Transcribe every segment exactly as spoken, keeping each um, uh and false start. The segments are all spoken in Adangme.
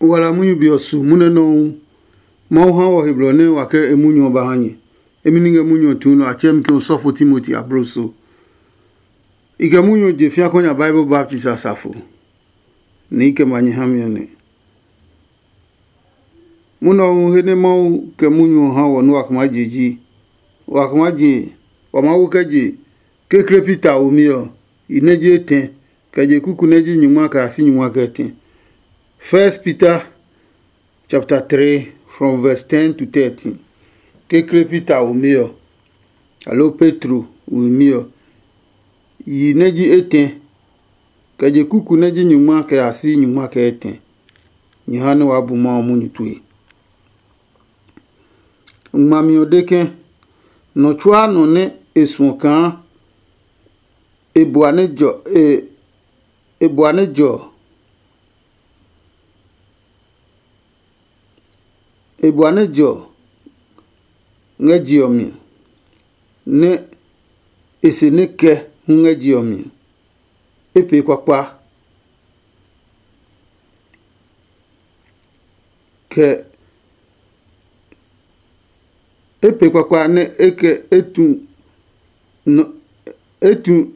wala munyu be ɔ su munɛ nɔuu. Mawu ha wɔ he blɔ nɛ wa kɛ e munyu ɔ ba ha nyɛ. Emi ni ngɛ munyu ɔ tuu nɔ a tsɛɛ mi ke osɔfo Timoti abloso. I kɛ munyu ɔ je fia kɔ nya Bible baptist asafo, nɛ i kɛ ma nyɛ ha mi ɔ nɛ. Munɔ hu he nɛ Mawu kɛ munyu ɔ ha wɔ nɛ wa kma je ji, wa kma je, wa Mawu kɛ je kekle Peter womi ɔ, i nɛ ji etɛ, kɛ je kuku nɛ ji nyingma kɛ a si nyingma kɛ tɛ. First Peter chapter three, from verse ten to thirteen. Kekle Peter womi ɔ, aloo Petro womi ɔ, yi nɛ ji etɛ, kɛ je kuku nɛ ji nyingma kɛ a si nyingma kɛ etɛ. Nyɛ ha nɛ waa bu Mawu munyu tue. Ngmami ɔ de ke, nɔ tsuaa nɔ nɛ e suɔ kaa e bua nɛ jɔ e e bua nɛ jɔ e bua nɛ jɔ ngɛ je ɔ mi, nɛ e se nɛ kɛ hu ngɛ je ɔ mi, e pee kpakpa. Kɛ e pee kpakpa nɛ e kɛ e tu nɔ e tu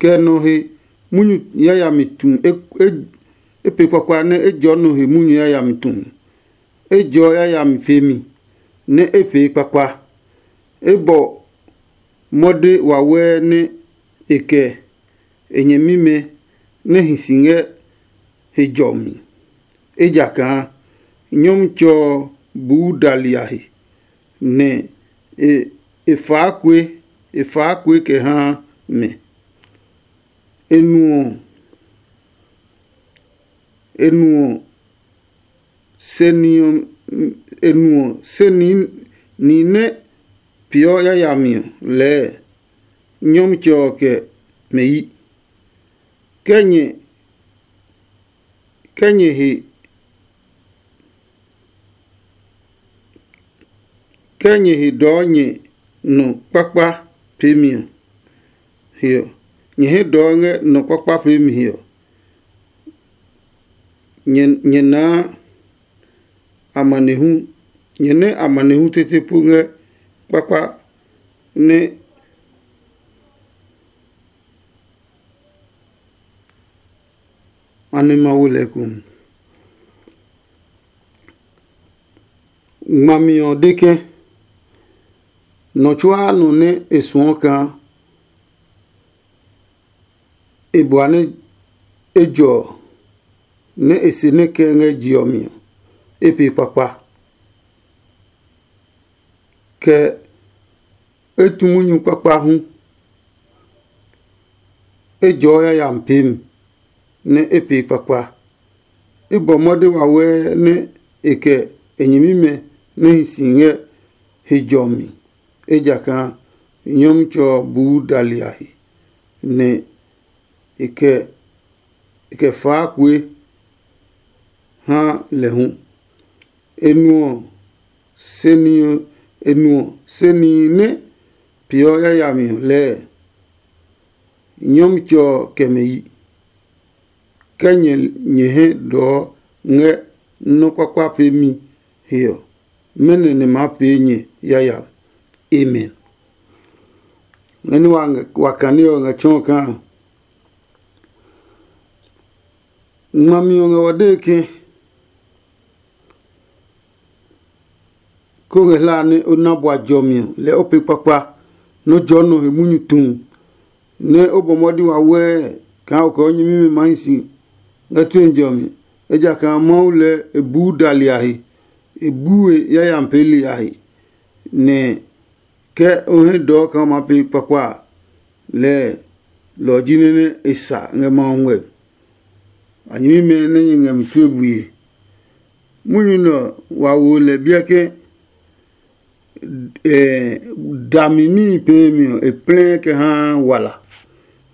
kɛ nɔ he munyu yayami tu e e e pee kpakpa nɛ e jɔɔ nɔ he munyu yayami tu. E jɔɔ yayami peemi nɛ e pee kpakpa. E bɔ mɔde wawɛɛ nɛ e kɛ e nyɛmimɛ nɛ hi si ngɛ he jɔmi, ejakaa Nyɔmtsɛ ɔ buu dali a he, nɛ e e faa kue e faa kue kɛ haa mɛ. E nuɔ e nuɔ se ni ɔ e nuɔ se ni ni nɛ peeɔ yayami ɔ lɛɛ Nyɔmtsɛ ɔ kɛ mɛ yi. Kɛ nyɛ kɛ nyɛ he kɛ nyɛ he dɔɔ nyɛ nɔ kpakpa peemi ɔ he ɔ, nyɛ he dɔɔ ngɛ nɔ kpakpa peemi he ɔ, nyɛ nyɛ naa amanehlu nyɛ nɛ amanehlu tete po ngɛ kpakpa nɛ a nɛ ma wo lɛ eko. Ngmami ɔ de ke nɔ tsuaa nɔ nɛ e suɔ kaa e bua nɛ ejɔ ɔ, nɛ e se nɛ kɛ ngɛ je ɔ mi ɔ, e pee kpakpa. Kɛ e tu munyu kpakpa hu, ejɔ ɔ yayami peemi, nɛ e pee kpakpa. E bɔ mɔde wawɛɛ nɛ e kɛ e nyɛmimɛ nɛ hi si ngɛ he jɔ mi, ejakaa Nyɔmtsɛ ɔ buu dali a he, nɛ e kɛ e kɛ faa kue ha lɛ hu. E nuɔ se ni e nuɔ se ni nɛ peeɔ yayami ɔ lɛɛ, Nyɔmtsɛ ɔ kɛ mɛ yi. Kɛ nyɛ nyɛ hɛ dɔɔ ngɛ nɔ́ kpakpa peemi he ɔ, mɛnɔ nɛ maa pee nyɛ yayami? Amen. Nɛ ní wa kane ɔ ngɛ tsɔɔ kaa ngmami ɔ ngɛ wa dee ke, ko ngɛ hlaa nɛ o na bua jɔmi ɔ, lɛɛ o pee kpakpa nɛ o jɔɔ nɔ he munyu tu, nɛ o bɔ mɔdi wawɛɛ kaa o kɛ o nyɛmimɛ maa hi si ngɛ tue jɔmi. Ejakaa Mawu lɛɛ e buu dali a he, e bue yayami peeli a he, nɛ ke o hɛ dɔɔ kaa o maa pee kpakpa a, lɛɛ lɔ ɔ ji nɛ nɛ e sa ngɛ Mawu ngmɛ. A nyɛmimɛ nɛ nyɛ ngɛ mi tue bue. Munyu nɛ ɔ, wa wo lɛ biɛ ke dami níhi peemi ɔ e plɛɛ kɛ haa wala.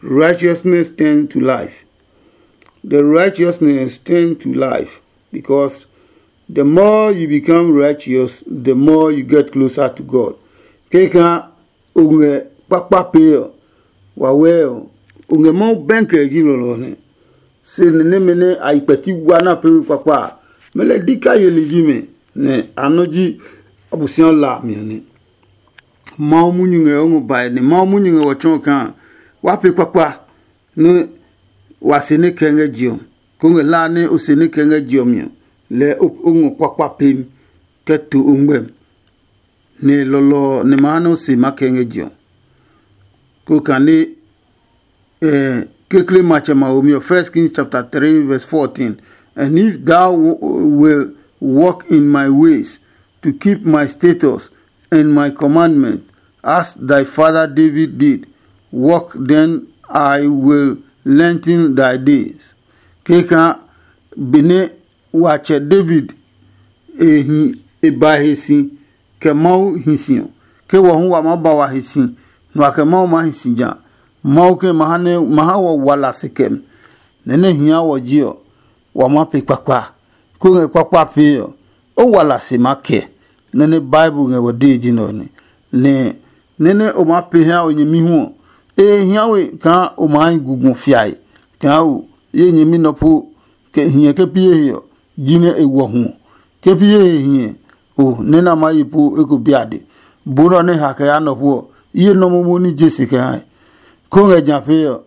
Righteousness turn to life. The righteousness turn to life, because the more you become righteous, the more you get closer to God. Keka o ngɛ kpakpa pee ɔ, wawɛɛ ɔ, o ngɛ Mawu bɛnkɛ ji lɔlɔ nɛ. Se ni nɛmɛ nɛ a yi kpɛti wa na pee we kpakpa a, mɛ lɛ dika yeli ji mɛ, nɛ a nɔ ji Abosiami la a mi ɔ nɛ. Mawu munyu ngɛ o ngɔ bae, nɛ Mawu munyu ngɛ wɔ tsɔɔ kaa wa pee kpakpa nɛ wa se nɛ kɛ ngɛ je ɔ, ko ngɛ hlaa nɛ o se nɛ kɛ ngɛ je ɔ mi ɔ, lɛɛ o ngɔ kpakpa pem kɛ to o ngmɛm, nɛ lɔlɔ ɔ nɛ ma ha nɛ o se ma kɛ ngɛ je ɔ. Ko kane eh, kekle matsɛ ma womi ɔ, First Kings chapter three verse fourteen. And if thou will walk in my ways to keep my statutes and my commandment, as thy father David did, walk, then I will lengthen thy days. Keka bene watsɛ David e hi e ba he si kɛ Mawu hi si ɔ, ke wɔ hu wa maa ba wa hi si, nɛ wa kɛ Mawu maa hi si ja. Mawu ke ma ha nɛ ma ha wɔ wala se kɛmi, nɛ nɛ hia wɔ ji ɔ, wa maa pe kpakpa. Ko ngɛ kpakpa pee ɔ, o wala se maa kɛ. Nɛ nɛ Bible ngɛ wɔ dee ji nɛ ɔ nɛ. Nɛ nɛ nɛ o maa pe ha o nyɛmi hu ɔ, e hia we kaa o maa hi gugɔ fiae, kaa o ye nyɛmi nɔ po kɛ hiɛ ke pi ye he ɔ, jinɛ e wɔ hu ɔ. Ke pi ye he hiɛ o nɛ na ma yi po eko biade, bo nɔ nɛ ha kɛ ya nɔ po ɔ, ye nɔ momo ní je se kɛ ha. Ko ngɛ ja pee ɔ,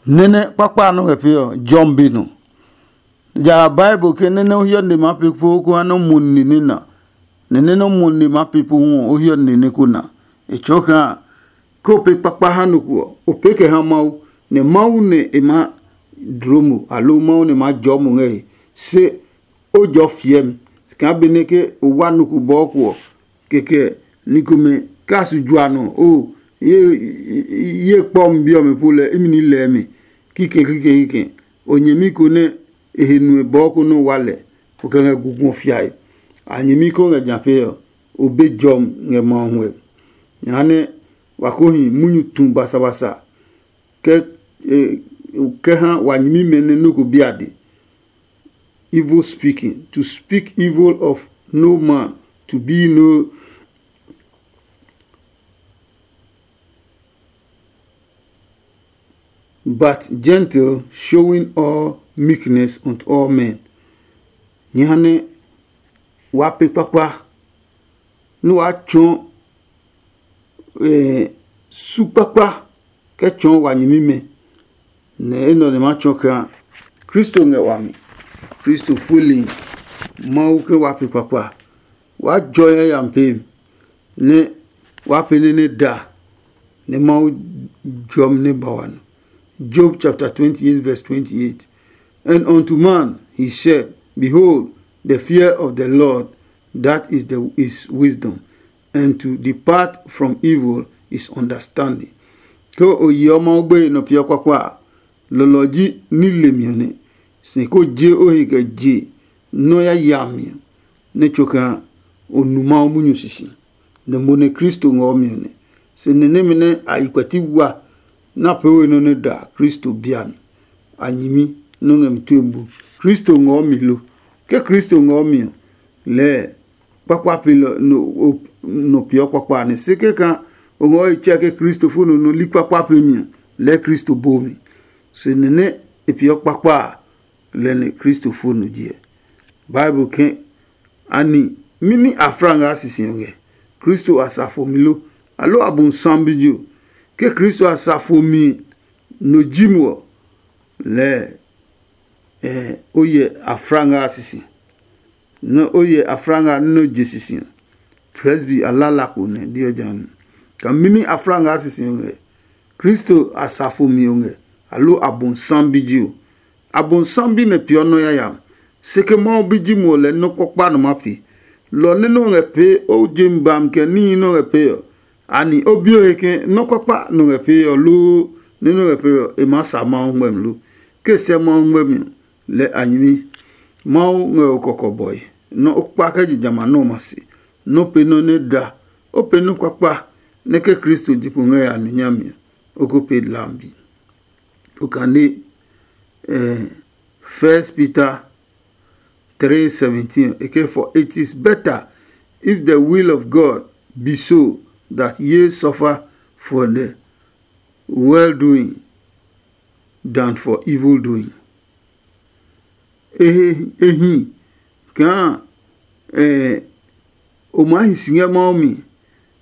nɛnɛ kpakpa nɔ ngɛ pee ɔ, jɔmi be nɔ. Ja Bible ke nɛnɛ o hiɔ nde ma pe po ko ha nɔ mo ni ne na. Nɛ nɛ nɔ mo nde ma pe po hu ɔ, o hiɔ nde ne ko na. E tsɔɔ kaa ke o pe kpakpa ha nɔ ko ɔ, o pee kɛ ha Mawu, nɛ Mawu nɛ e ma dloo mo, aloo Mawu nɛ ma jɔɔ mo ngɛ he. Se o jɔ fiɛmi kaa benɛ ke o wa nɔ ko bɔɔ ko ɔ, kɛkɛ ni komɛ ka su jua nɔ o ye ye kpɔmi bi ɔmɛ po lɛ imi ní lɛɛ mi kikɛ kikɛ kikɛ. O nyɛmi ko nɛ e he nue bɔɔ ko nɔ wa lɛ, o kɛ ngɛ gugɔ fiae. A nyɛmi ko ngɛ ja pe ɔ, o be jɔmi ngɛ ma ɔ huɛ. Jehanɛ wa ko hi munyu tu basabasa kɛ kɛ ha wa nyɛmimɛ nɛ nɔ ko biade. Evil speaking, to speak evil of no man, to be no but gentle, showing all meekness unto all men. Nyɛ ha nɛ wa pe kpakpa nɛ wa tsɔɔ eh, su kpakpa kɛ tsɔɔ wa nyɛmimɛ. Nɛ enɛ ɔ ne ma tsɔɔ kaa Kristo ngɛ wami. Kristo fueli Mawu ke wa pe kpakpa. Wa jɔ yayami pee mi, nɛ wa pee nɛ nɛ da nɛ Mawu jɔmi nɛ ba wa nɔ. Job chapter twenty-eight verse twenty-eight. And unto man he said, Behold, the fear of the Lord, that is the is wisdom, and to depart from evil is understanding. Ke o yeɔ Mawu gbeye nɔ peeɔ kpakpa a, lɔlɔ ji ní lemi ɔ nɛ. Si ko je o he kɛ je nɔ́ yayami ɔ, nɛ tso kaa o nu Mawu munyu sisi, nɛ mo nɛ Kristo ngɔ mi ɔ nɛ. Se ni nɛmɛ nɛ a yi kpɛti wa nɛ a pee we nɔ́ nɛ da Kristo bia mi. A nyɛmi nɔ́ ngɛ mi tue bu. Kristo ngɔ mi lo? Ke Kristo ngɔ mi ɔ, lɛɛ kpakpa pe nɔ peeɔ kpakpa nɛ se kɛka o ngɔ yi tsɛ ke Kristo fo nɔ nɔ li kpakpa pe mi ɔ, lɛɛ Kristo bo mi. Se ni nɛ e peeɔ kpakpa a, lɛ nɛ Kristo fo nɔ jiɛ. Bible ke ani mini afra ngɛ a sisi ɔ ngɛ? Kristo a sa fo mi lo? Aloo abonsam bi jo? Ke Kristo a sa fo mi no ji mo ɔ, lɛɛ eh, o yɛ afra ngɛ a sisi. Nɛ o yɛ afra ngɛ a nɛ o je sisi ɔ, presby a lala ko nɛ diɔ ja mi. Ka mini afra ngɛ a sisi ɔ ngɛ? Kristo asafo mi ɔ ngɛ, aloo abonsam bi ji o? Abonsam bi nɛ peeɔ nɔ́ yayami. Se ke Mawu bi ji mo ɔ, lɛ nɔ́ kpɔkpa nɔ ma pi. Lɔ nɛ nɔ́ ngɛ pee o je mi bami kɛ níhi nɔ́ ngɛ pee ɔ, ani o bi o he ke nɔ́ kpakpa nɔ ngɛ pee ɔ loo nɛ nɔ́ ngɛ pee ɔ, e maa sa Mawu ngmɛmi lo? Ke sɛ Mawu ngmɛmi ɔ, lɛ a nyɛmi. Mawu ngɛ o kɔkɔbɔe nɔ́ o kpa kɛ je jamɛ a nɔ́ ɔmɛ se, nɔ́ pee nɔ́ nɛ da, o pee nɔ́ kpakpa nɛ ke Kristo ji kpo ngɛ ya nu nyami ɔ, o ko pee lambi. O kane eh, First Peter three seventeen, e ke, for it is better if the will of God be so that ye suffer for the well doing than for evil doing. e he e hi kaa o maa hi si ngɛ Mawu mi,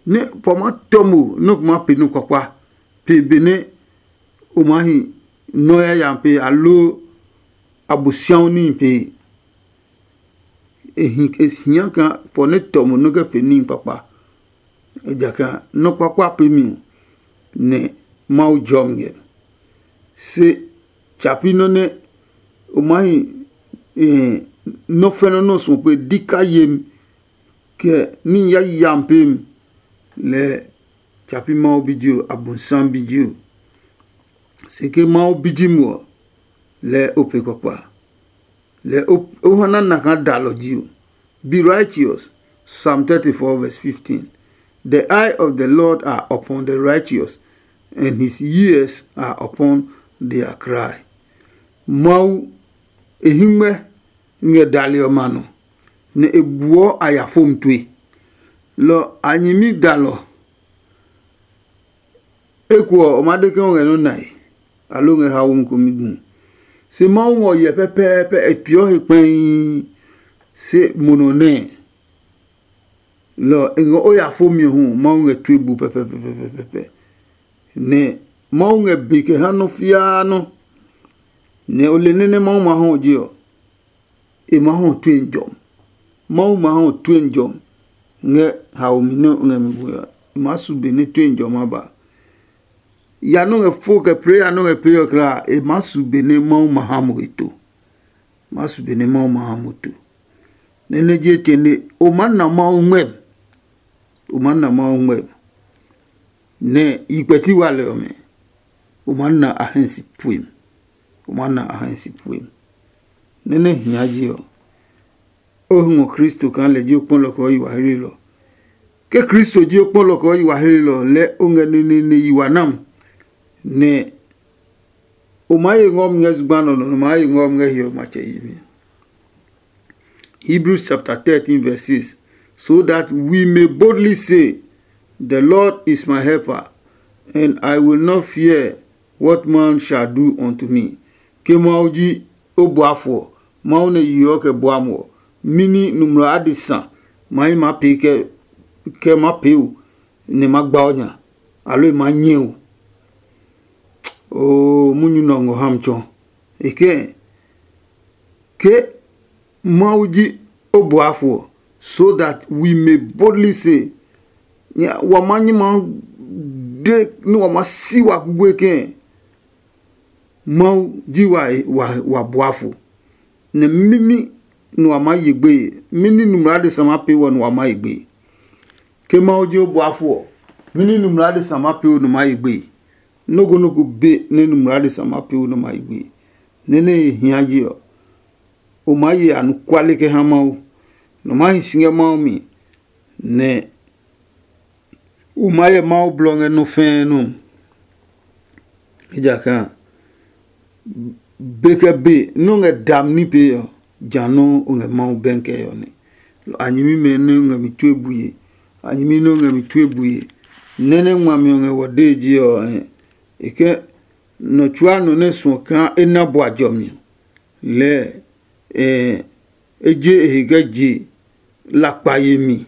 nɛ pa ma tɔ mo nɛ o ma pe nɔ kpakpa pe benɛ o maa hi nɔ yayami pe aloo Abosiamu níhi pe. E hia kaa pɔ nɛ tɔ mo nɔ́ kɛ pee níhi kpakpa, ejakaa nɔ́ kpakpa pemi ɔ, nɛ Mawu jɔ mi ngɛ. Se tsa pi nɔ́ nɛ o maa hi nɔ́ fɛnɔ nɔ́ suɔ pe dika yemi, kɛ ní yayami pemi, lɛɛ tsa pi Mawu bi ji o, Abonsam bi ji o. Se ke Mawu bi ji mo ɔ, lɛɛ o pe kpakpa. Lɛ o ha nana kaa dalɔ ji o. Be righteous. Psalm thirty-four verse fifteen. The eye of the Lord are upon the righteous, and his ears are upon their cry. Mawu e hingmɛ ngɛ dali ɔmɛ a nɔ, nɛ e buɔ a ya fom tue. Lɔ a nyɛmi dalɔ. Eko ɔ, o maa de ke o ngɛ nɔ́ nae, aloo o ngɛ haomi komi gu. Se Mawu ngɔ hyɛ pɛpɛɛpɛ, e peeɔ he kpɛii, se mo nɔ nɛɛ. Lɔ ɔ, e ngɔ o ya fomi ɔ hu, Mawu ngɛ tue bu pɛpɛpɛpɛpɛ. Nɛ Mawu ngɛ be kɛ ha nɔ́ fiaa nɔ́. Nɛ o le nɛ nɛ Mawu ma hɔ ɔ je ɔ, e maa hɔ tue njɔmi. Mawu ma hɔ tue njɔmi ngɛ haomi nɛ o ngɛ mi gbe ɔ. E maa su be nɛ tue njɔmi a ba. Ya nɔ́ ngɛ fo kɛ prayer nɔ́ ngɛ pee ɔ kla, e maa su be nɛ Mawu ma ha mo he to. Maa su be nɛ Mawu ma ha mo to. Nɛ nɛ je tene o maa na Mawu ngmɛmi. O maa na Mawu ngmɛmi. Nɛ yi kpɛti wa lɛ ɔmɛ, o maa na a hɛ si puemi. O maa na a hɛ si puemi. Nɛ nɛ hia je ɔ, o ngɔ Kristo kaa lɛ ji o kpɔlɔ kɛ o yi wa hlelɔ. Ke Kristo ji o kpɔlɔ kɛ o yi wa hlelɔ, lɛ o ngɛ neneene yi wa nam, nɛ o maa ye ngɔmi ngɛ zugba nɔ nɔ, nɔ maa ye ngɔmi ngɛ hiɔ matsɛ yi mi. Hebrews chapter thirteen verse six. So that we may boldly say, the Lord is my helper, and I will not fear what man shall do unto me. Ke Mawu ji o buafo ɔ, Mawu nɛ yeɔ kɛ bua mo ɔ, mɛni nɔmlɔ adesa ma yi ma pee kɛ kɛ ma pee o, nɛ ma gba o nya, aloo e ma nyɛ o? Oo, munyu nɛ ɔ ngɔ ha mi tsɔ. E kɛɛ, ke Mawu ji o buafo ɔ, so that we may boldly say, wa ma nyi ma de nɛ wa ma si wa kugbe kɛɛ, Mawu ji wa wa wa buafo. Nɛ mimi nɛ wa maa ye gbeye, mɛni nɔmlɔ adesa ma pee wɔ nɛ wa maa ye gbeye? Ke Mawu ji o buafo ɔ, mɛni nɔmlɔ adesa ma pee o nɛ ma ye gbeye? Nɔ́ ko nɔ́ ko be nɛ nɔmlɔ adesa ma pee o nɛ ma ye gbeye. Nɛ nɛ e hia je ɔ, o maa ye anɔkuale kɛ ha Mawu, nɛ o maa hi si ngɛ Mawu mi, nɛ o maa hyɛ Mawu blɔ ngɛ nɔ́ fɛɛ nɔ. Ejakaa be kɛ be nɔ́ ngɛ dami ní pee ɔ, ja nɔ́ o ngɛ Mawu bɛnkɛ ɔ nɛ. A nyɛmimɛ nɛ ngɛ mi tue bue, a nyɛmi nɛ ngɛ mi tue bue, nɛ nɛ ngmami ɔ ngɛ wɔ dee je ɔ, e kɛ nɔ tsuaa nɔ nɛ suɔ kaa e na bua jɔmi ɔ, lɛɛ e je e he kɛ je lakpa yemi.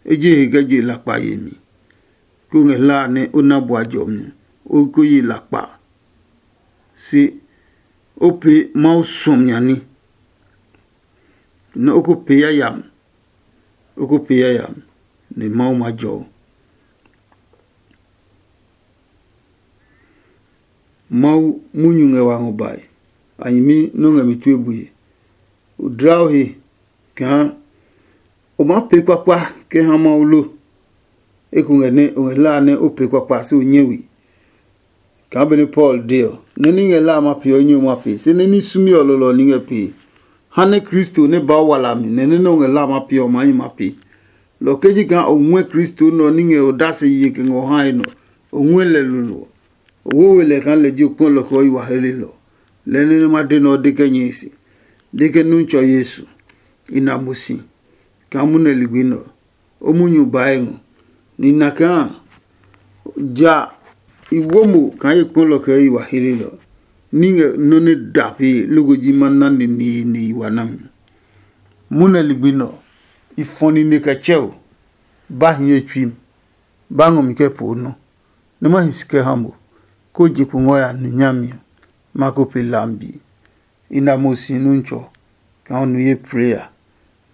E je e he kɛ je lakpa yemi. Ko ngɛ hla a nɛ o na bua jɔmi ɔ, o ko ye lakpa. Se o pee Mawu suɔmi a ní, nɛ o ko pee yayami, o ko pee yayami, nɛ Mawu ma jɔ o. Mawu munyu ngɛ wa ngɔ bae, a nyɛmi nɔ́ ngɛ mi tue bue. O dla o he kaa o maa pee kpakpa kɛ ha Mawu lo. Eko ngɛ nɛ o ngɛ hla a nɛ o pee kpakpa se o nyɛ we. Kaa benɛ Paul de ɔ, nɛ ní ngɛ hla a ma pee ɔ, nyɛ o ma pee, se nɛ ní sumi ɔ lɔlɔ ɔ ní ngɛ pee. Ha nɛ Kristo nɛ ba o wala mi, nɛ nɛ nɛ o ngɛ hla a ma pee ɔ, maa nyɛ ma pee. Lɔ kɛ ji kaa o ngɔɛ Kristo nɛ ɔ ní ngɛ odase ye kɛ ngɛ o hae nɔ, o ngɔɛ lɛ lolo ɔ, o wo we lɛ kaa lɛ ji o kpɔ lɔ kɛ o yi wa helelɔ. Lɛ nɛ nɛ ma de nɛ ɔ de kɛ nyɛe se, de ke Nuntsɔ Yesu, i na mo si kaa munɛ ligbi nɛ ɔ, o munyu bae ngɔ. Ni na kaa ja i wo mo kaa ye kpɔ lɔ kɛ o yi wa helelɔ. ní ngɛ nɔ́ nɛ da pee loko ji ma na neneene yi wa nami. Munɛ ligbi nɛ ɔ, i fɔ nine kɛ tsɛ o, ba hiɛ tsui mi, ba ngɔ mi kɛ poo nɔ, nɛ ma hi si kɛ ha mo, kó je kpo ngɔ ya nu nyami ɔ, ma ko pe lambi. I na mo si nuntsɔ kaa o nu ye prayer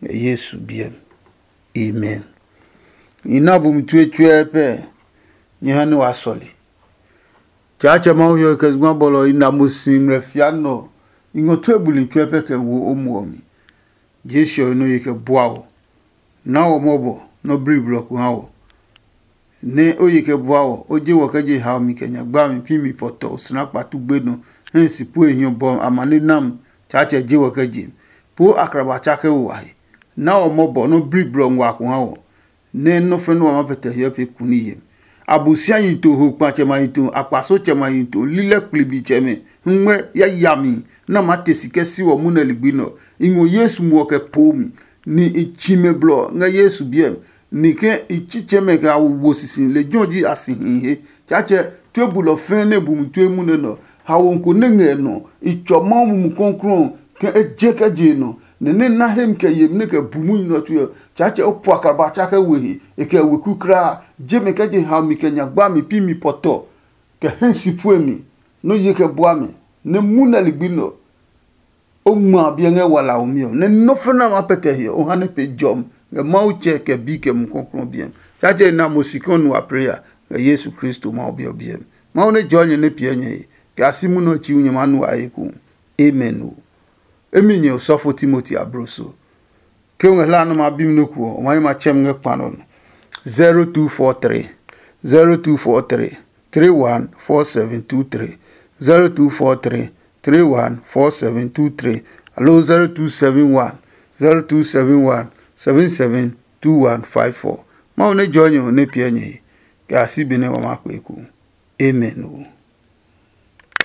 ngɛ Yesu biɛ mi. Amen. I na bumi tue tsuɛ pɛ nyɛ ha nɛ wa sɔle. Tsaatsɛ Mawu hiɔ kɛ zugba bɔlɔ i na mo si ngmlɛ fia nɔ. I ngɔ tue buli tsuɛ pɛ kɛ wo o muɔ mi. Jesu ɔ nɔ ye kɛ bua o. Na wɔ mɔbɔ nɔ bli blɔ ko ha wɔ. Nɛ o ye kɛ bua wɔ, o je wɔ kɛ je haomi kɛ nyagba mi pi mi pɔtɔ osina kpatu gbe nɔ hɛ si pue hiɔ bɔ amane nam. Tsaatsɛ je wɔ kɛ je mi. Po akraba tsa kɛ wo wahe. Na wɔ mɔbɔ nɔ bli blɔ ngua ko ha wɔ. Nɛ nɔ́ fɛ́ nɔ́ wa ma pɛtɛ hiɔ pe kuni yemi. Abosiayi to, ho kpatsɛ ma yi to, akpasotsɛ ma yi to, lilɛ kplibiitsɛmɛ, hungmɛ yayami nɛ a maa te si kɛ si wɔ munɛ ligbi nɛ ɔ. I ngɔ Yesu muɔ kɛ poo mi, ni i tsi mɛ blɔ ngɛ Yesu biɛ mi, ni ke i tsitsɛmɛ kɛ a wo sisi lejɛ ɔ ji a si hihi he. Tsaatsɛ tue bulɔ fɛɛ nɛ bumi tue munɛ nɛ ɔ, haomi ko nɛ ngɛ nɔ, i tsɔ Mawu Mumi Klɔuklɔu ɔ ke e je kɛ je nɔ, nɛ nɛ na hemi kɛ yemi nɛ kɛ bu munyu nɛ ɔ tue ɔ, Tsaatsɛ o pua kaba tsa kɛ we he, e kɛ weku kulaa. Je mɛ kɛ je ha mi kɛ nyagba mi pi mi pɔtɔ, kɛ hɛ si pue mi, nɔ́ ye kɛ bua mi, nɛ mu nɛ ligbi nɛ ɔ, o ngma a biɛ ngɛ walaomi ɔ, nɛ nɔ́ fɛnɛ a maa pɛtɛ hiɛ o ha nɛ pe jɔmi ngɛ Mawu Tsɛ kɛ Bi kɛ Mumi Klɔuklɔu biɛ mi. Tsaatsɛ e na mo si kɛ o nu wa pray a ngɛ Yesu Kristo Mawu Bi ɔ biɛ mi. Mawu nɛ jɔɔ nyɛ nɛ piɛ nyɛ he, kɛ a si munɔ ɔ tsi nyɛ maa nu a he eko. Amen o. Emi nyɛ osɔfo Timoti abloso. Ke o ngɛ hlaa nɛ o maa bi mi nɔ́ ko ɔ, o ma yi ma tsɛ mi ngɛ kpa nɔ nɔ. Zero two four three, zero two four three, three one four seven two three, zero two four three, three one four seven two three, aloo zero two seven one, zero two seven one, seven seven two one five four. Mawu nɛ jɔɔ nyɛ ɔ nɛ piɛ nyɛ he, kɛ a si benɛ wa maa kpee ko. Amen o.